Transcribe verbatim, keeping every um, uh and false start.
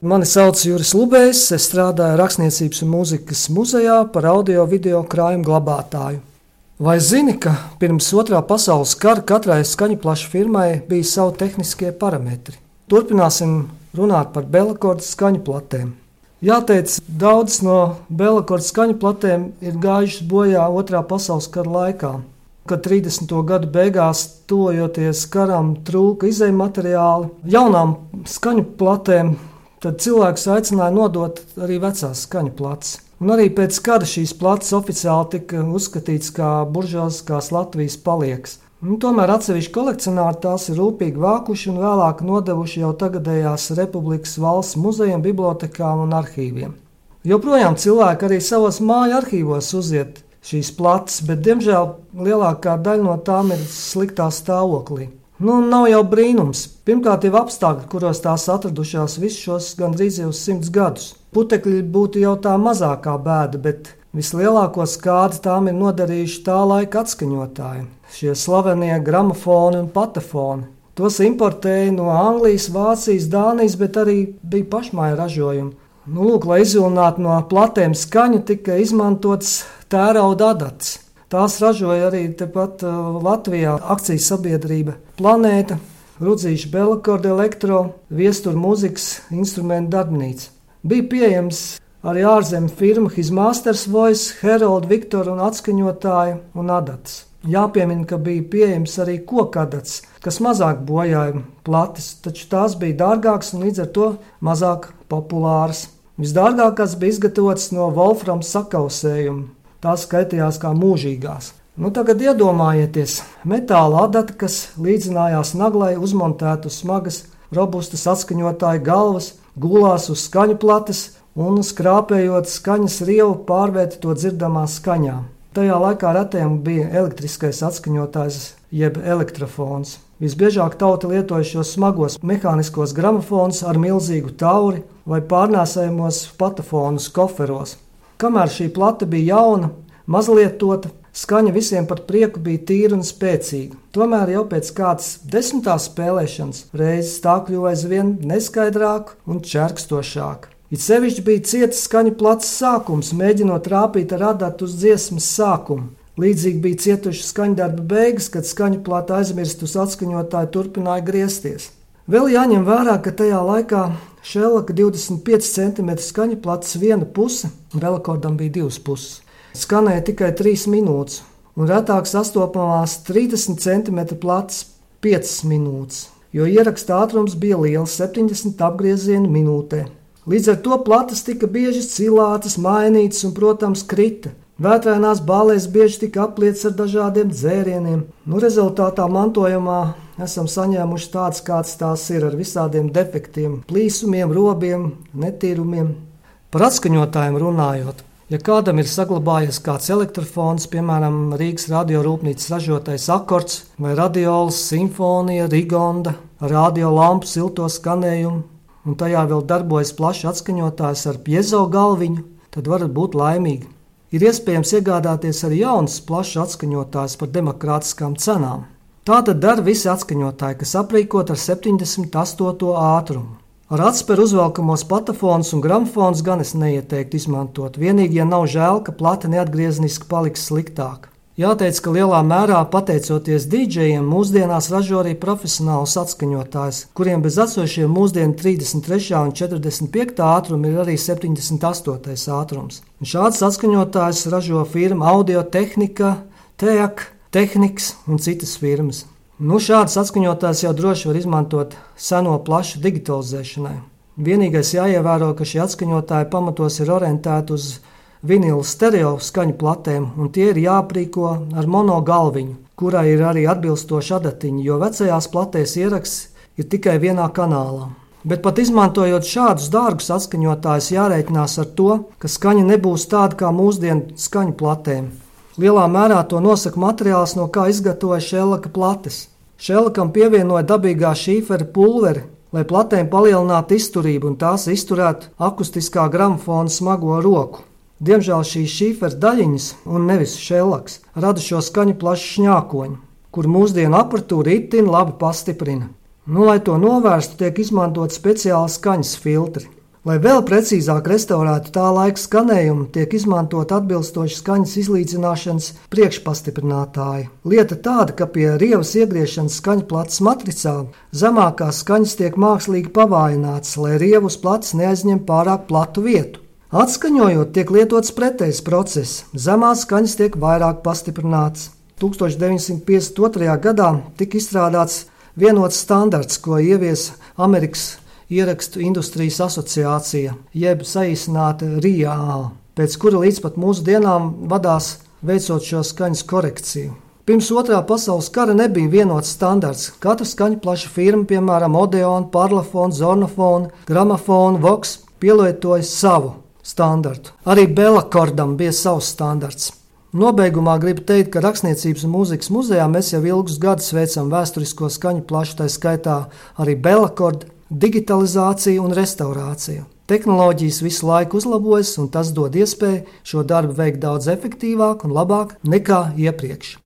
Mani sauc Juris Lubējs, es strādāju Rakstniecības un mūzikas muzejā par audio-video krājumu glabātāju. Vai zini, ka pirms otrā pasaules kara katrai skaņaplašu firmai bija savi tehniskie parametri? Turpināsim runāt par Belakorda skaņaplatēm. Jāteic, daudzas no Belakorda skaņaplatēm ir gājušas bojā otrā pasaules kara laikā, kad trīsdesmito gadu beigās, tojoties karam, trūka izejmateriāli. Jaunām skaņaplatēm tad cilvēks aicināja nodot arī vecās skaņaplates. Un arī pēc kara šīs plates oficiāli tika uzskatīts kā buržuāziskās Latvijas palieks. Un tomēr atsevišķi kolekcionāri tās ir rūpīgi vākuši un vēlāk nodevuši jau tagadējās Republikas valsts muzejiem, bibliotekām un arhīviem. Joprojām cilvēki arī savos māju arhīvos uziet šīs plates, bet diemžēl lielākā daļa no tām ir sliktā stāvoklī. Nu, nav jau brīnums. Pirmkārt, jau apstākļi, kuros tās atradušās visus šos gandrīz jau simts gadus. Putekļi būtu jau tā mazākā bēda, bet vislielāko skādi tām ir nodarījuši tā laika atskaņotāji. Šie slavenie gramofoni un patefoni. Tos importēja no Anglijas, Vācijas, Dānijas, bet arī bija pašmāju ražojumi. Nu, lūk, lai izvilinātu no platēm skaņu, tika izmantots tērauda adatas. Tās ražoja arī tepat uh, Latvijā akcijas sabiedrība Planēta, Rudzīša Belakorda elektro, Viestura mūzikas instrumentu darbnīca. Bija pieejams arī ārzemju firma His Masters Voice, Herald, Victor un atskaņotāji un adatas. Jāpiemina, ka bija pieejams arī kokadats, kas mazāk bojāja plates, taču tās bija dārgākas un līdz ar to mazāk populāras. Visdārgākās bija izgatavotas no volframa sakausējuma. Tās skaitījās kā mūžīgās. Nu, tagad iedomājieties, metāla adata, kas līdzinājās naglai, uzmontētu smagas, robustas atskaņotāju galvas, gulās uz skaņu plates un skrāpējot skaņas rievu pārvērta to dzirdamā skaņā. Tajā laikā retiem bija elektriskais atskaņotājs jeb elektrofons. Visbiežāk tauta lietoja šos smagos mehāniskos gramofonus ar milzīgu tauri vai pārnēsājumos patafonus koferos. Kamēr šī plate bija jauna, mazlietota, skaņa visiem par prieku bija tīra un spēcīga. Tomēr jau pēc kādas desmitās spēlēšanas reizes tā kļuva aizvien neskaidrāka un čerkstošāka. It sevišķi bija cietas skaņu plates sākums, mēģinot rāpīt ar adatu uz dziesmas sākumu. Līdzīgi bija cietuši skaņdarba beigas, kad skaņu plate aizmirst uz atskaņotāju turpināja griezties. Vēl jāņem vērā, ka tajā laikā Šellaka divdesmit pieci centimetri skaņa plates viena puse, Belakordam bija divas puses, skanēja tikai trīs minūtes, un retāk sastopamās trīsdesmit centimetri plates piecas minūtes, jo ieraksta ātrums bija liels septiņdesmit apgriezieni minūtē. Līdz ar to plates tika bieži cilātas, mainītas un, protams, krita. Vētrainās bālēs bieži tika apliets ar dažādiem dzērieniem. Nu, rezultātā mantojumā esam saņēmuši tāds, kāds tās ir, ar visādiem defektiem, plīsumiem, robiem, netīrumiem. Par atskaņotājiem runājot, ja kādam ir saglabājies kāds elektrofons, piemēram, Rīgas radiorūpnīcas ražotais akords vai radiolas, simfonija, rigonda, radiolampu silto skanējumu, un tajā vēl darbojas plašs atskaņotājs ar piezo galviņu, tad varat būt laimīgi. Ir iespējams iegādāties arī jaunas plašs atskaņotājs par demokrātiskām cenām. Tā tad dara visi atskaņotāji, kas aprīkot ar septiņdesmit astoto ātrumu. Ar atsperu uzvelkamos patafonus un gramofonus gan es neieteiktu izmantot, vienīgi, ja nav žēl, ka plate neatgriezniski paliks sliktāka. Jāteic, ka lielā mērā pateicoties dīdžejiem mūsdienās ražo arī profesionālus atskaņotājus, kuriem bez esošiem mūsdienu trīsdesmit trešā un četrdesmit piektā ātruma ir arī septiņdesmit astotais ātrums. Un šāds atskaņotājs ražo firma Audio-Tehnika, T E A K, Tehniks un citas firmas. Nu, šāds atskaņotājs jau droši var izmantot seno plašu digitalizēšanai. Vienīgais jāievēro, ka šie atskaņotāji pamatos ir orientēti uz vinila stereo skaņu platēm, un tie ir jāaprīko ar mono galviņu, kurai ir arī atbilstoši adatiņi, jo vecajās platēs ieraksts ir tikai vienā kanālā. Bet pat izmantojot šādus dārgus atskaņotājus, jārēķinās ar to, ka skaņa nebūs tāda kā mūsdienu skaņu platēm. Lielā mērā to nosaka materiāls, no kā izgatavoja Šellaka plates. Šellakam pievienoja dabīgā šīfera pulveri, lai platēm palielinātu izturību un tās izturētu akustiskā gramofona smago roku. Diemžēl šīs šīfera daļiņas, un nevis Šellaks, rada šo skaņu plašu šņākoņu, kur mūsdienu aparatūra itin labi pastiprina. Nu, lai to novērstu, tiek izmantot speciāli skaņas filtri. Lai vēl precīzāk restaurētu tā laika skanējumu, tiek izmantot atbilstoši skaņas izlīdzināšanas priekšpastiprinātāji. Lieta tāda, ka pie rievas iegriešanas skaņplates matricā zemākās skaņas tiek mākslīgi pavājinātas, lai rievu uz plates neaizņem pārāk platu vietu. Atskaņojot, tiek lietots pretējs process. Zemās skaņas tiek vairāk pastiprinātas. tūkstoš deviņsimt piecdesmit otrajā gadā tika izstrādāts vienots standarts, ko ieviesa Amerikas Ierakstu industrijas asociācija, jeb saīsināta R I A, pēc kura līdz pat mūsu dienām vadās veicot šo skaņas korekciju. Pirms otrā pasaules kara nebija vienots standarts. Katra skaņplaša firma, piemēram, Odeon, Parlophone, Zornophone, Gramophone, Vox, pielietoja savu standartu. Arī Bellakordam bija savs standarts. Nobeigumā gribu teikt, ka Rakstniecības un mūzikas muzejā mēs jau ilgus gadus veicam vēsturisko skaņu plašu, tā skaitā arī Bellakorda, digitalizāciju un restaurāciju. Tehnoloģijas visu laiku uzlabojas, un tas dod iespēju šo darbu veikt daudz efektīvāk un labāk nekā iepriekš.